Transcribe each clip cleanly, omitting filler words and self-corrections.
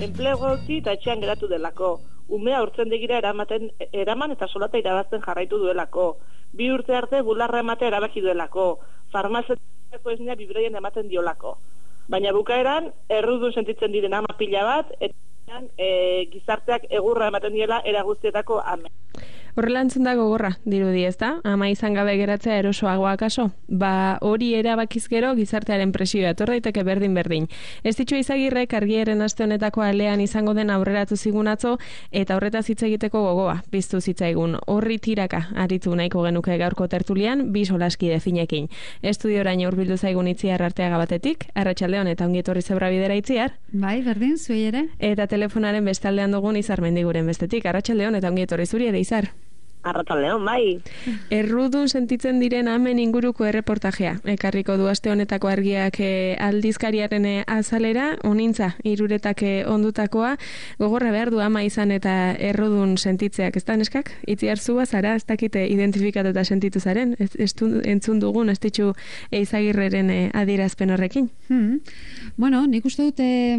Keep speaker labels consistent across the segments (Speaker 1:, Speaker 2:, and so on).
Speaker 1: Enplegu utzi eta etxean geratu delako. Umea urtzendegira eraman eta solata irabazten jarraitu duelako. 2 urte arte bularra ematea erabaki duelako. Farmaziako esnea bibroien ematen diolako. Baina bukaeran, errudun sentitzen diren ama pila bat, eta gizarteak egurra ematen diela era guztietako ame.
Speaker 2: Horrela entzun da gogorra, dirudi, ezta? Ama izan gabe geratzea erosoagoa kaso? Ba, hori erabakiz gero gizartearen presioa etor daiteke berdin. Ez ditu Izagirrek argiaren aste honetako alean izango den aurreratu zigun atzo, eta horretaz hitz egiteko gogoa piztu zitzaigun. Horri tiraka aritu nahiko genuke gaurko tertulian, 2 solaskide finekin. Estudioraino hurbildu zaigun Itziar Arteaga batetik, arratsaldeon eta ongi etorri Zebrabidera Itziar.
Speaker 3: Bai, berdin, zuei ere.
Speaker 2: Eta telefonaren bestaldean dugun Izar Mendiguren bestetik, arratsaldeon eta ongi etorri zuri ere Izar.
Speaker 1: Arratsaldeon, bai.
Speaker 2: Errudun sentitzen diren amen inguruko erreportajea. Ekarriko du aste honetako argiak aldizkariaren azalera, onintza, Hiruretak ondutakoa, gogorra behar du ama izan eta errudun sentitzeak, ez da neskak? Itziar zua zara, ez dakite identifikatu eta sentitu zaren, entzun dugun, ez ditu Izagirreren adierazpen horrekin?
Speaker 3: Bueno, nik uste dute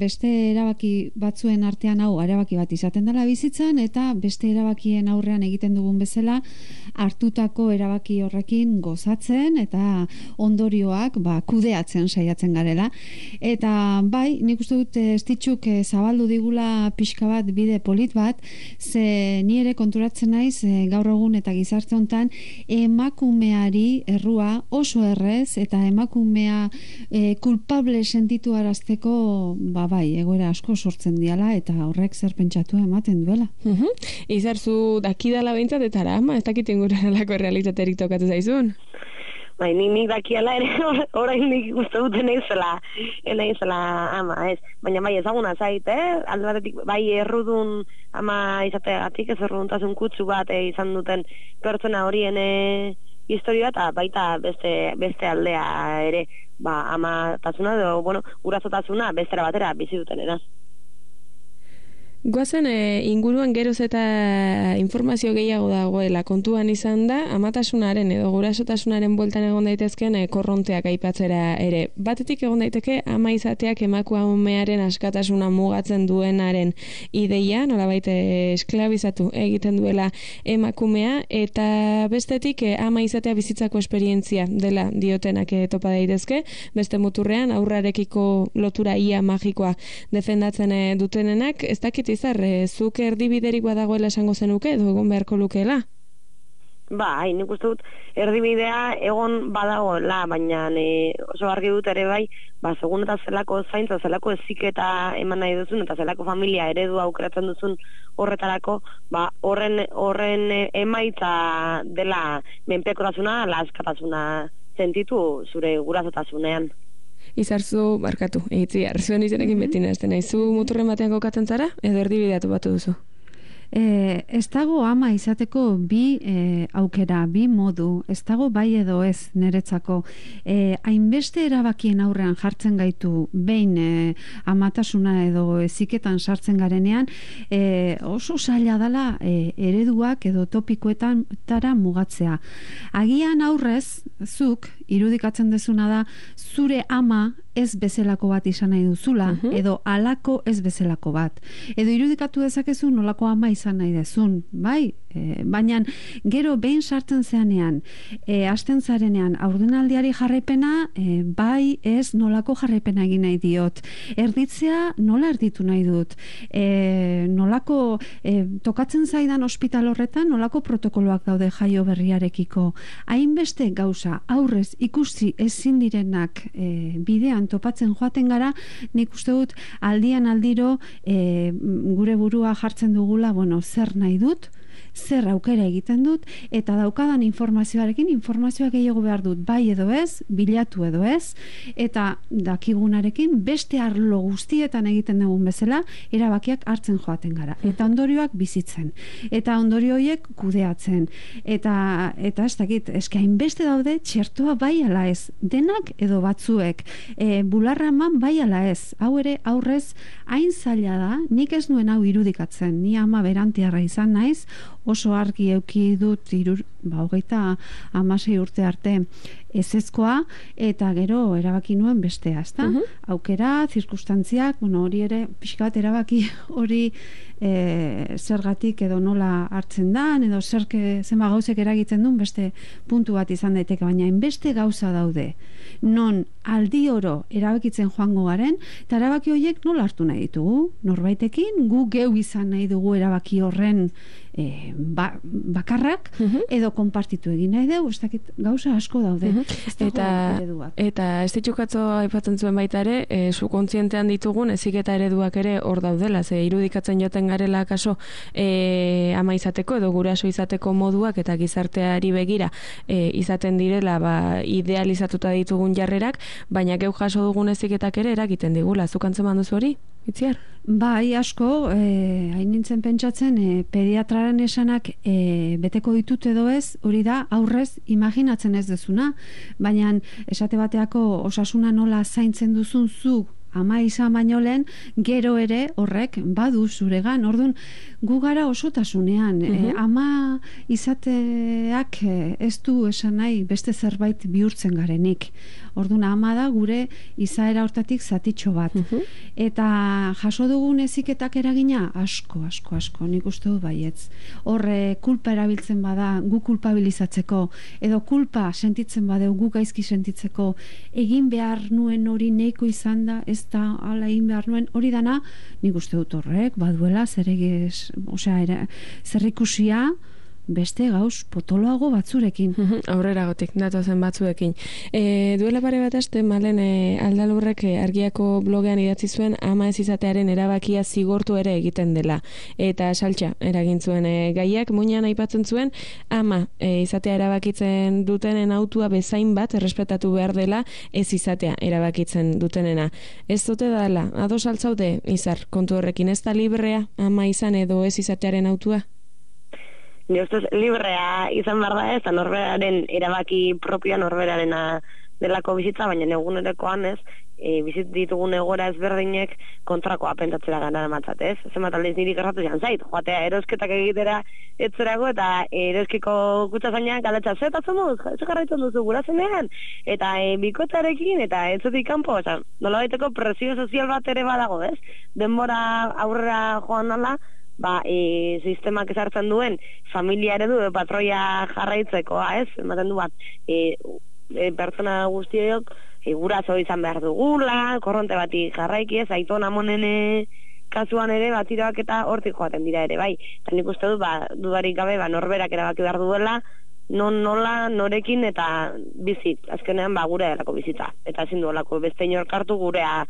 Speaker 3: beste erabaki batzuen artean hau, erabaki bat izaten dela bizitzan, eta beste erabakien aurrean egiten dugun bezala hartutako erabaki horrekin gozatzen eta ondorioak kudeatzen saiatzen garela. Eta bai, nik uste dut Estitxuk zabaldu digula pixka bat bide polit bat, ze ni ere konturatzen naiz gaur egun eta gizarte hontan emakumeari errua oso errez eta emakumea kulpable sentitu arazteko bai, egoera asko sortzen diala eta horrek zer pentsatu ematen duela.
Speaker 2: Izarzu dakidala behintzat eta ama, ez dakit inguralako realitaterik tokatu zaizun?
Speaker 4: Bai, nik dakiala ere, orain nik uste duten naizela ama, ez. Baina bai ezaguna zait, alde batetik bai errudun ama izateagatik, ez erruduntasun kutsu bat izan duten pertsona horien historia eta baita beste aldea ere, amatasuna edo, gurasotasuna bestera batera bizi dutenera.
Speaker 2: Goazen inguruan geroz eta informazio gehiago dagoela kontuan izan da, amatasunaren edo gurasotasunaren bueltan egon daitezken korronteak aipatzera ere. Batetik egon daiteke ama izateak emakumearen askatasuna mugatzen duenaren ideia, nolabait esklabizatu egiten duela emakumea, eta bestetik ama izatea bizitzako esperientzia dela diotenak topa daitezke, beste muturrean aurrarekiko lotura ia magikoa defendatzen dutenenak, ez dakit Izar, zuk erdibiderik badagoela esango zenuke edo egon beharko lukeela?
Speaker 4: Bai, nik uste dut erdibidea egon badagoela, baina oso argi dut ere bai, segun eta zelako zaintza, zelako eziketa eman nahi duzun, eta zelako familia eredu aukeratzen duzun horretarako, horren emaitza dela menpekotasuna, askatasuna sentitu zure gurasotasunean.
Speaker 2: Izarzu, barkatu, Itziar, zuen izenekin beti nazten nahi. Zu muturren batean kokatzen zara, edo erdibideatu batu duzu?
Speaker 3: Ez dago ama izateko bi aukera, bi modu, ez dago bai edo ez niretzako. Hainbeste erabakien aurrean jartzen gaitu behin amatasuna edo eziketan sartzen garenean, oso zaila dela ereduak edo topikoetan tara mugatzea. Agian aurrez, zuk irudikatzen dezuna da, zure ama ez bezalako bat izan nahi duzula, edo alako ez bezalako bat. Edo irudikatu dezakezu nolako ama izan nahi dezun, bai? Baina gero behin sartzen zeanean, hasten zarenean, aurdenaldiari jarraipena, bai ez nolako jarraipena egin nahi diot. Erditzea nola erditu nahi dut. Nolako, tokatzen zaidan ospital horretan, nolako protokoloak daude jaio berriarekiko. Hainbeste gauza aurrez ikusi ezin direnak bidean topatzen joaten gara, nik uste dut aldian aldiro gure burua jartzen dugula, zer nahi dut, zer aukera egiten dut, eta daukadan informazioa gehiago behar dut, bai edo ez, bilatu edo ez, eta dakigunarekin beste arlo guztietan egiten dugun bezala, erabakiak hartzen joaten gara, eta ondorioak bizitzen, eta ondorio horiek kudeatzen, eta ez dakit, eskain beste daude, txertoa bai ala ez, denak edo batzuek, bularra eman bai ala ez, hau ere aurrez hain zaila da, nik ez nuen hau irudikatzen, ni ama berantiarra izan naiz, oso argi euki dut 26 urte arte ezezkoa, eta gero erabaki nuen bestea, ezta? Aukera, zirkustantziak, hori ere, pixka bat erabaki hori zergatik edo nola hartzen dan, edo zenba gauzek eragiten duen beste puntu bat izan daiteke, baina beste gauza daude, non aldi oro erabakitzen joango garen, eta erabaki horiek nola hartu nahi ditugu, norbaitekin, gu geu izan nahi dugu erabaki horren bakarrak, edo konpartitu egin nahi dugu, ez dakit gauza asko daude.
Speaker 2: Eta ez ditxukatzo aipatzen zuen baita ere, zu kontzientean ditugun eziketa ereduak ere hor daudela, ze irudikatzen joten garela kaso ama izateko edo guraso izateko moduak eta gizarteari begira izaten direla idealizatuta ditugun jarrerak, baina geu jaso dugun eziketak ere eragiten digula. Zuk antzeman duzu hori? Itziar?
Speaker 3: Bai, asko, hain nintzen pentsatzen, pediatraren esanak beteko ditut edo ez, hori da, aurrez imaginatzen ez dezuna, baina esate bateako osasuna nola zaintzen duzun zuk ama izan baino lehen, gero ere horrek badu zuregan, orduan gu gara osotasunean, ama izateak ez du esan nahi beste zerbait bihurtzen garenik. Orduan ama da gure izaera hortatik zatitxo bat. Eta jaso dugun eziketak eragina asko, nik uste dut baietz. Horre kulpa erabiltzen bada gu kulpabilizatzeko, edo kulpa sentitzen badeu gu gaizki sentitzeko, egin behar nuen hori neiko izan da, ez da ala egin behar nuen, hori dana nik uste dut horrek baduela zerrikusia beste gauz potoloago batzurekin.
Speaker 2: Aurrera gotik, datozen batzuekin. Duela pare bat aste, Malen Aldalurrek Argiako blogean idatzi zuen ama ez izatearen erabakia zigortu ere egiten dela. Eta saltxa eragin zuen gaiak, muinean aipatzen zuen ama izatea erabakitzen dutenen autua bezain bat errespetatu behar dela ez izatea erabakitzen dutenena. Ez dute dala, ados altzaude, Izar, kontu horrekin, ez da librea ama izan edo ez izatearen autua?
Speaker 4: Ni ustez librea izan behar da ez, eta norberaren erabaki propioa norberarena delako bizitza, baina egunerokoan ez, bizit ditugun egoera ezberdinek kontrakoa pentatzera gara matzat, ez? Zenbat aldiz niri gertatu zian zait, joatea erosketak egitera etzerago, eta eroskiko kutsazainak galetza zetatzen duz, ez garraitzen duzu gurazenean, eta bikotarekin, eta entzutik kanpo, nola baiteko presio sozial bat ere badago, ez? Denbora aurrera joan nala, sistemak ezartzen duen familia eredu patroia jarraitzekoa, ez? Ematen du bat, pertsona guztiok guraso izan behar dugula, korronte bati jarraiki, ez? Aiton amonen kasuan ere batiroak eta hortik joaten dira ere, bai. Eta nik uste dut, dudarik gabe, norberak erabaki behar duela, nola, norekin eta bizit. Azkenean, gure delako bizitza. Eta ezin duelako beste inork hartu gurea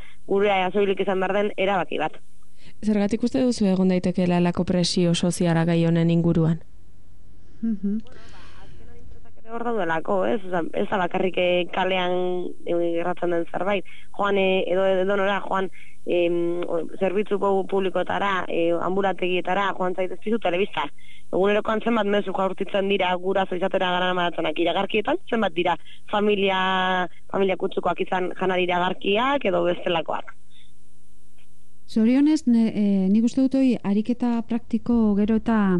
Speaker 4: soilik izan behar den erabaki bat.
Speaker 2: Zergatik uste duzu egon daitekeela lako presio soziala gai honen inguruan?
Speaker 4: hor daudelako, ez? Ez da bakarrik kalean gertatzen den zerbait. Joan edo nora, joan zerbitzu publikoetara, ambulategietara, joan zaitez pizu telebista. Egunerokoan zenbat mezu jaurtitzen dira guraso izatera gara maratonak iragarkietan, zenbat dira familia kutsukoak izan janari iragarkiak edo bestelakoak.
Speaker 3: Zorionez, nik uste dut hori ariketa praktiko gero eta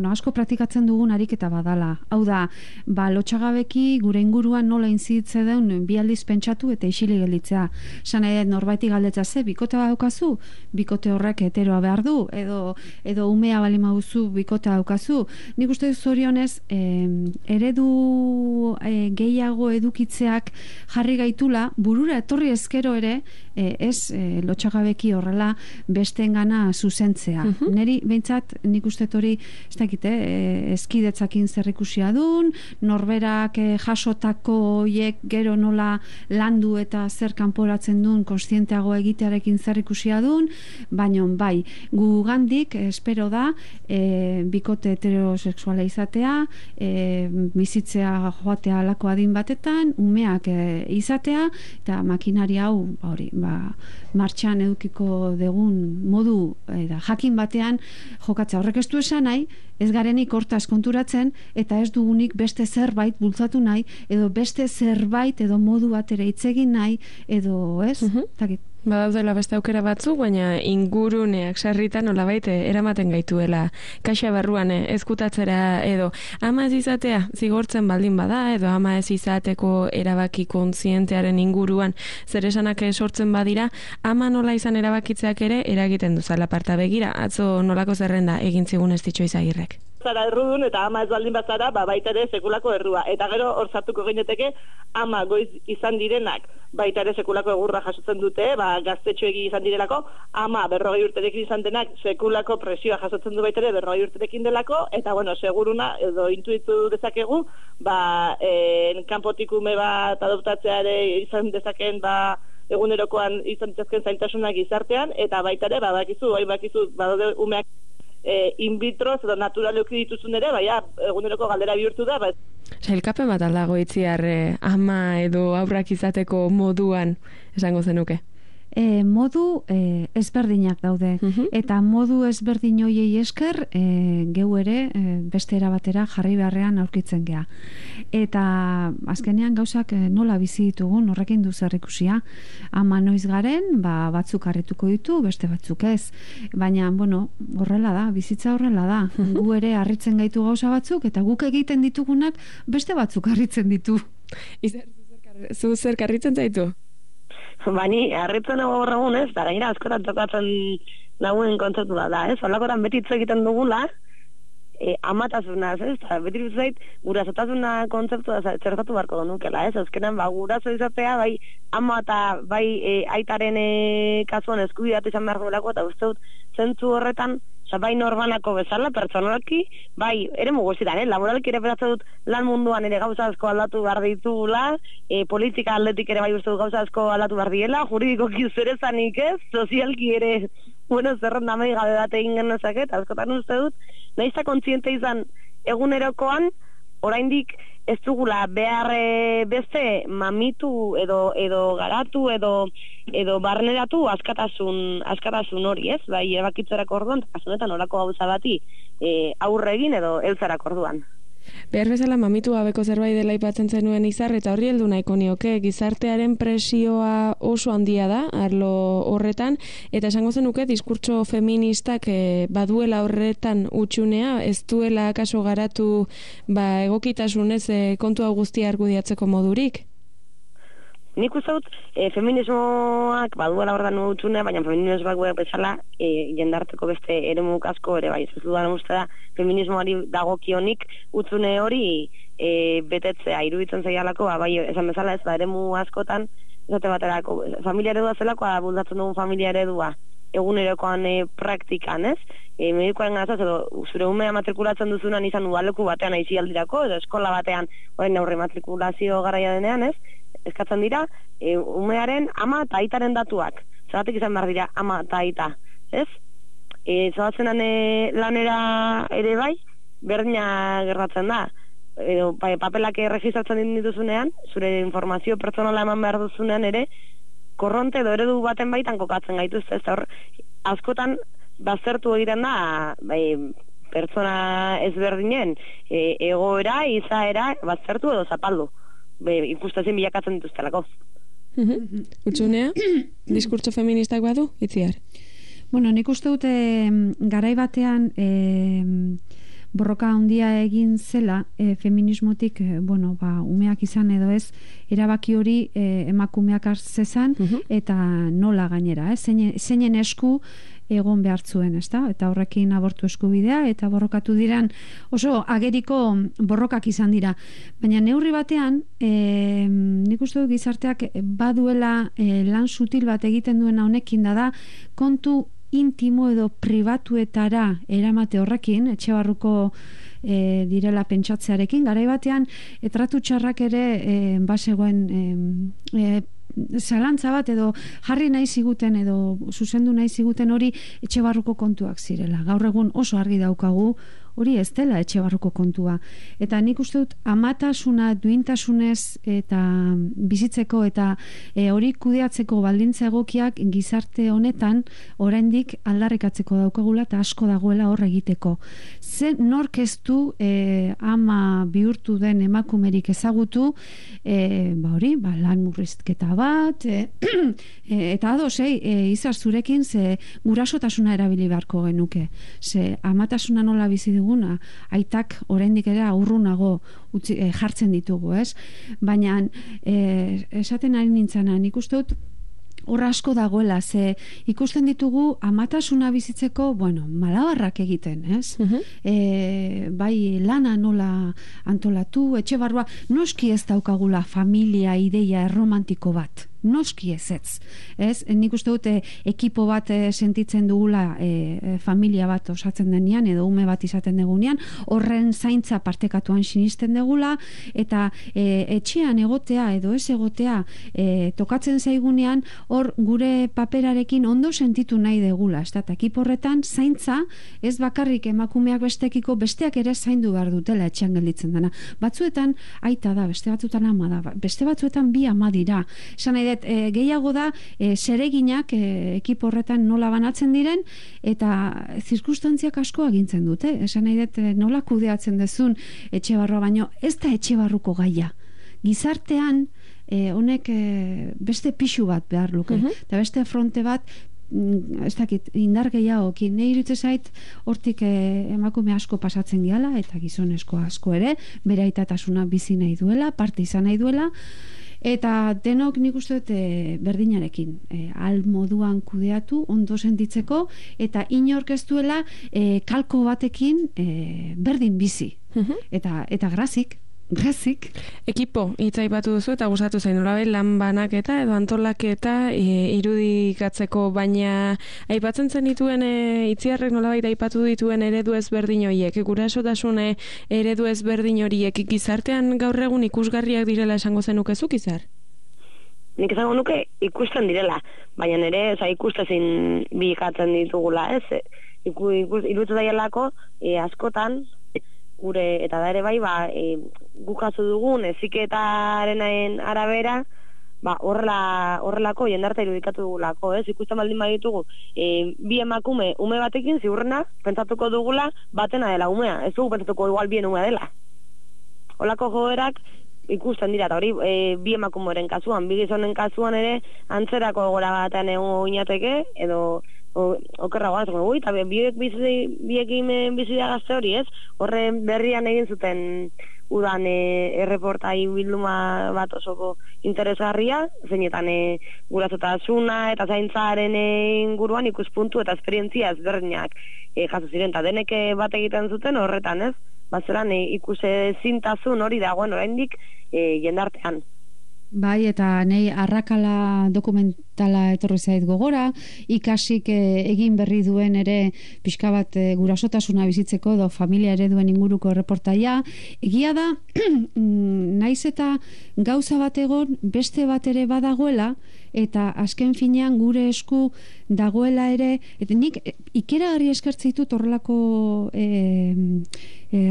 Speaker 3: asko praktikatzen dugun ariketa badala. Hau da, lotxagabeki gure inguruan nola inzitze deun bi aldiz pentsatu eta isili gelditzea. Sana norbaiti galdetza ze, bikote daukazu, bikote horrek heteroa behar du, edo umea bali mauzu bikote daukazu. Nik uste dut zorionez, eredu gehiago edukitzeak jarri gaitula, burura etorri ezkero ere, ez lotxagabeki horrela bestengana zuzentzea. Neri behintzat nik uste hori ez dakite, eskidetzakin zerrikusia dun, norberak jasotako hoiek gero nola landu eta zer kanporatzen duen kontzienteago egitearekin zerrikusia dun, baina bai, gugandik espero da bikote heterosexuala izatea, bizitzea joatea alako adin batetan, umeak izatea, eta makinari hau martxan edukiko degun modu jakin batean jokatzea. Horrek ez du esan nahi, ez garenik hortaz konturatzen eta ez dugunik beste zerbait bultzatu nahi, edo beste zerbait edo modu batera hitz egin nahi, edo ez?
Speaker 2: Badaudela beste aukera batzuk, baina inguruneak sarritan nolabait eramaten gaituela kaxa barruan ezkutatzera edo ama ez izatea zigortzen baldin bada edo ama ez izateko erabaki kontzientearen inguruan zer esanak sortzen badira, ama nola izan erabakitzeak ere eragiten duzala parta begira. Atzo nolako zerrenda egin zigun ez ditxo Izagirrek.
Speaker 1: Zara errudun eta ama ez baldin bazara, baita ere sekulako errua. Eta gero hor sartuko gineteke ama goiz izan direnak baita ere sekulako egurra jasotzen dute, gaztetxoegi izan direlako, ama 40 urterekin izan denak sekulako presioa jasotzen du baita ere 40 urterekin delako, eta bueno, seguruna edo intuitu dezakegu, kanpotik ume bat adoptatzea ere izan dezakeen egunerokoan izan ditzazken zailtasunak gizartean, eta baita ere bakizu badaude umeak in vitro edo naturaleuki dituzun ere, eguneroko galdera bihurtu da.
Speaker 2: Sailkapen bat aldago itziar ama edo aurrak izateko moduan esango zenuke?
Speaker 3: Modu ezberdinak daude. Eta modu ezberdin hoiei esker geu ere beste era batera jarri beharrean aurkitzen gea. Eta azkenean gauzak nola bizi ditugun horrekin du zerikusia. Ama noiz garen, batzuk harrituko ditu, beste batzuk ez. Baina, horrela da, bizitza horrela da. Gu ere harritzen gaitu gauza batzuk eta guk egiten ditugunak beste batzuk harritzen ditu.
Speaker 2: Zu zer harritzen zaitu?
Speaker 4: Bani, harritzen nago horregun ez, da gainera askotan tokatzen naguen kontzeptu da, ez? Olakoran beti hitz egiten dugula, amatasunaz, ez? Beti hitz zait, gurasotasuna kontzeptua zertatu beharko nukela, ez? Azkenan, guraso izatea, bai ama eta bai aitaren kasuan eskubidea izan behar duelako, eta uste dut zentzu horretan, bai norbanako bezala, pertsonalki, bai, ere muguzitan, laboralki ere beratzen dut lan munduan ere gauza asko aldatu behar ditugula, politika aldetik ere bai uste dut gauza asko aldatu behar diela, juridikoki zerezanik ez, sozialki ere, zerren namei gabe bat egin genezaket, askotan uste dut, nahizta kontziente izan egunerokoan, oraindik ez dugula behar beste mamitu edo garatu edo barneratu askatasun hori, ez? Bai, erabakitzerako orduan, eta kasunetan orako gauza bati aurre egin edo heltzerako orduan.
Speaker 2: Behar bezala mamitu gabeko zerbait dela aipatzen zenuen Izar, eta horri heldu nahiko nioke, gizartearen presioa oso handia da, arlo horretan, eta esango zenuke diskurtso feministak baduela horretan utxunea, ez duela kaso garatu egokitasunez kontu hau guztia argudiatzeko modurik?
Speaker 4: Nik uste dut, feminismoak baduela horretan utxunea, baina feminismoak bezala jendarteko beste eremuk asko ere bai. Ez dudan uste da, feminismoari dagokionik utzune hori betetzea, iruditzen zaialako, bai, esan bezala ez da, eremu askotan, esate baterako, familia eredua zelakoa bultatzen dugun familia eredua, egunerokoan praktikan, ez? Medikoaren gazaz, edo zure umea matrikulatzen duzunan izan udaleku batean aizi aldirako, edo eskola batean, orain aurre matrikulazio garaia denean, ez? Eskatzen dira, umearen ama eta aitaren datuak. Zeratik izan behar dira ama eta aita, ez? Zoazenan lanera ere bai, berdina gertatzen da. papelak erregistratzen dituzunean, zure informazio pertsonala eman behar duzunean ere, korronte edo eredu baten baitan kokatzen gaituzte, ez hor, askotan baztertu egiten da, pertsona ezberdinen egoera, izaera, baztertu edo zapaldu. Ikustezin bilakatzen dituztelako.
Speaker 2: Utsunea, diskurtso feministak badu, Itziar?
Speaker 3: Bueno, nik uste dute garai batean borroka handia egin zela feminismotik, umeak izan edo ez, erabaki hori emakumeak hartzezan eta nola gainera, zeinen esku egon behartzuen, ezta? Eta horrekin abortu eskubidea eta borrokatu diran oso ageriko borrokak izan dira. Baina neurri batean, nik uste dut gizarteak baduela lan sutil bat egiten duena honekin da kontu intimo edo pribatuetara eramate horrekin, etxe barruko direla pentsatzearekin, garai batean tratu txarrak ere basegoen zalantza bat edo jarri nahi ziguten edo zuzendu nahi ziguten hori etxe barruko kontuak zirela. Gaur egun oso argi daukagu hori ez dela etxe barruko kontua. Eta nik uste dut amatasuna duintasunez eta bizitzeko eta hori kudeatzeko baldintza egokiak gizarte honetan oraindik aldarrikatzeko daukagula eta asko dagoela hor egiteko. Nork ez du ama bihurtu den emakumerik ezagutu lan murrizketa bat eta ados, izar zurekin ze gurasotasuna erabili beharko genuke. Ze amatasuna nola bizi duguna, aitak oraindik ere urrunago jartzen ditugu, ez? Baina esaten ari nintzana, nik uste dut hor asko dagoela, ze ikusten ditugu amatasuna bizitzeko, malabarrak egiten, ez? Bai lana nola antolatu, etxe barrua, noski ez daukagula familia ideia erromantiko bat. Noski ez. Nik uste dute ekipo bat sentitzen dugula familia bat osatzen denean edo ume bat izaten degunean, horren zaintza partekatuan sinisten degula eta etxean egotea edo ez egotea tokatzen zaigunean hor gure paperarekin ondo sentitu nahi degula. Eta ekipo horretan zaintza ez bakarrik emakumeak bestekiko besteak ere zaindu behar dutela etxean gelditzen dena. Batzuetan aita da, beste batzuetan ama da, beste batzuetan bi ama dira. Esan nahi gehiago da zereginak ekipo horretan nola banatzen diren eta zirkustantziak asko agintzen dute. Esan nahi dut nola kudeatzen dezun etxe barroa, baino ez da etxe barruko gaia. Gizartean honek beste pixu bat behar luke. Eta beste fronte bat ez dakit, indar gehiago nahi iruditzen zait, hortik emakume asko pasatzen diala eta gizonezko asko ere, bere aitatasuna bizi nahi duela, parte izan nahi duela, eta denok nik uste dut berdinarekin al moduan kudeatu, ondo sentitzeko eta inork ez duela kalko batekin berdin bizi eta grazik.
Speaker 2: Ekipo, hitz aipatu duzu eta gustatu zain nolabait lan banaketa edo antolaketa irudikatzeko, baina aipatzen zen dituen Itziarrek nolabait aipatu dituen eredu ezberdin horiek, gurasotasun eredu ezberdin horiek gizartean gaur egun ikusgarriak direla esango zenukezuk, Izar?
Speaker 4: Nik esango nuke ikusten direla, baina ere ikustezin bilikatzen ditugula, ez? Iruditu daielako askotan gure eta da ere bai guk jaso dugun heziketaren arabera horrelako jendarte irudikatu dugulako, ez? Ikusten baldin baditugu bi emakume ume batekin ziurrena pentsatuko dugula batena dela umea, ez dugu pentsatuko igual bien umea dela. Holako joerak ikusten dira, eta hori bi emakumeren kasuan, bi gizonen kasuan ere antzerako gora batean egongo ginateke edo okerragoa, eta biekin bizi da gazte hori, ez? Horre berrian egin zuten udan erreportai bilduma bat osoko interesgarria, zeinetan gurasotasuna eta zaintzaren inguruan ikuspuntu eta esperientzia ezberdinak jaso ziren, eta denek bat egiten zuten horretan, ez? Bazeran ikusezintasun hori dagoen oraindik jendartean.
Speaker 3: Bai, eta nei arrakala dala etorri zait gogora, ikasik egin berri duen ere pixka bat gurasotasuna bizitzeko edo familia ereduen inguruko erreportaia. Egia da, naiz eta gauza bat egon beste bat ere badagoela, eta azken finean gure esku dagoela ere, eta nik ikeragarri eskertzen ditut horrelako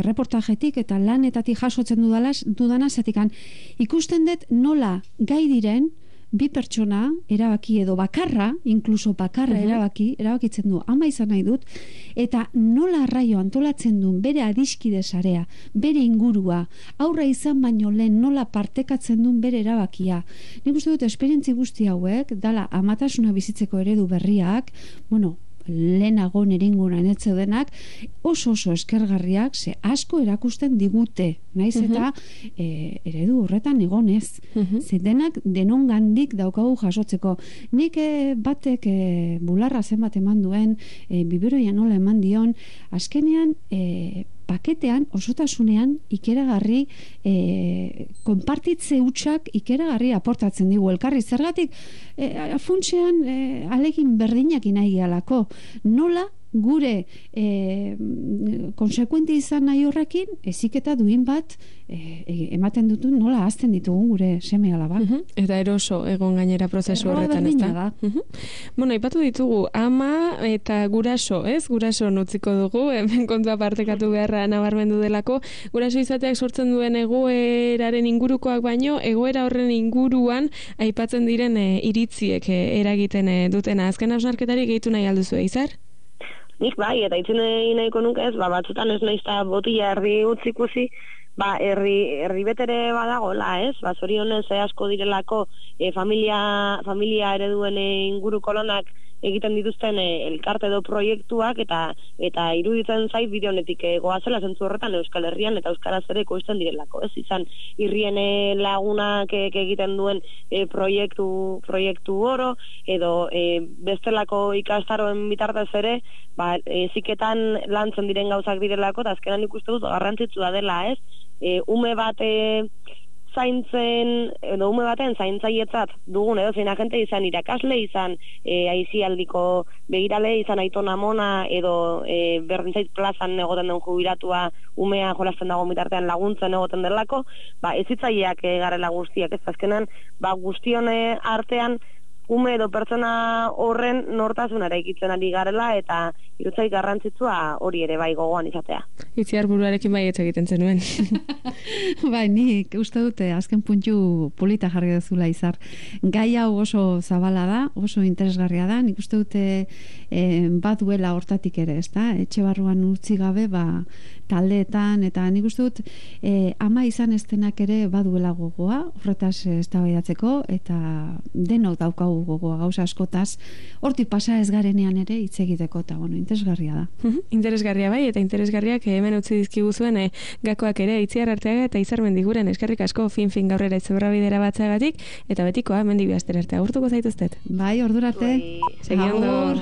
Speaker 3: reportajetik eta lanetatik jasotzen dudana, zatikan ikusten dut nola gai diren bi pertsona erabaki edo bakarra, inkluso bakarra erabakitzen du, ama izan nahi dut, eta nola arraio antolatzen duen bere adiskide sarea, bere ingurua, aurra izan baino lehen nola partekatzen duen bere erabakia. Nik uste dut esperientzi guzti hauek, dala amatasuna bizitzeko eredu berriak, lehenago nire inguruan denak, oso eskergarriak, ze asko erakusten digute, naiz eta eredu horretan egonez. Ze denak denongandik daukagu jasotzeko. Nik batek bularra zenbat eman duen, biberoia nola eman dion, azkenean paketean, osotasunean, ikeragarri, konpartitze hutsak ikeragarri aportatzen digu. Elkarri, zergatik, funtsean, alegin berdinak nahi gehalako. Nola, gure konsekuente izan nahi horrekin, eziketa duin bat ematen dutu nola hazten ditugun gure seme alaba.
Speaker 2: Eta eroso egon gainera prozesu horretan, ez da? Ipatu ditugu, ama eta guraso, ez? Guraso nutziko dugu, hemen kontua partekatu beharra nabarmendu delako. Guraso izateak sortzen duen egoeraren ingurukoak baino, egoera horren inguruan aipatzen diren iritziek eragiten dutena. Azken hausnarketari gehitu nahi alduzu, Izar?
Speaker 4: Nik bai, eta itzen nahiko nuke ez, batzutan ez naizta botila erdi utzikusi, herri betere badagoela, ez? Zorionez asko direlako familia ereduen inguruko lanak egiten dituzten elkarte edo proiektuak eta iruditzen zait bide honetik goazela zentzu horretan Euskal Herrian eta euskaraz ere ekoizten direlako, ez? Izan irrien lagunak egiten duen proiektu oro edo bestelako ikastaroen bitartez ere eziketan lantzen diren gauzak direlako, eta azkenan ikuste dut garrantzitsua dela, ez? Ume bat zaintzen, edo ume baten zaintzailetzat dugun edo zein agente izan irakasle, izan aisialdiko begirale, izan aitona amona edo berdintzait plazan egoten den jubilatua umea jolasten dago bitartean laguntzen egoten delako, ez hitzaileak garela guztiak, ez azkenan guztion artean ume edo pertsona horren nortasuna eraikitzen ari garela eta irutzai garrantzitsua hori ere bai gogoan izatea.
Speaker 2: Itziar buruarekin bai ez egiten zenuen.
Speaker 3: Bai, nik uste dute azken puntu polita jarri duzula, Izar. Gai hau oso zabala da, oso interesgarria da, nik uste dute baduela hortatik ere, ezta? Etxe barruan utzi gabe, taldeetan, eta nik uste dut ama izan estenak ere baduela gogoa, horretaz eztabaidatzeko, eta denok daukagu gogoa gauza askotaz, hortik pasa ez garenean ere hitz egiteko, eta interesgarria da.
Speaker 2: Interesgarria bai, eta interesgarriak hemen utzi dizkiguzuen gakoak ere, Itziar Arteaga eta Izar Mendiguren eskerrik asko fin gaurrera itzebra bidera batzeagatik, eta betikoa mendi bihazter arte agurtuko zaituztet.
Speaker 3: Bai, ordurarte.
Speaker 2: Segi ondo.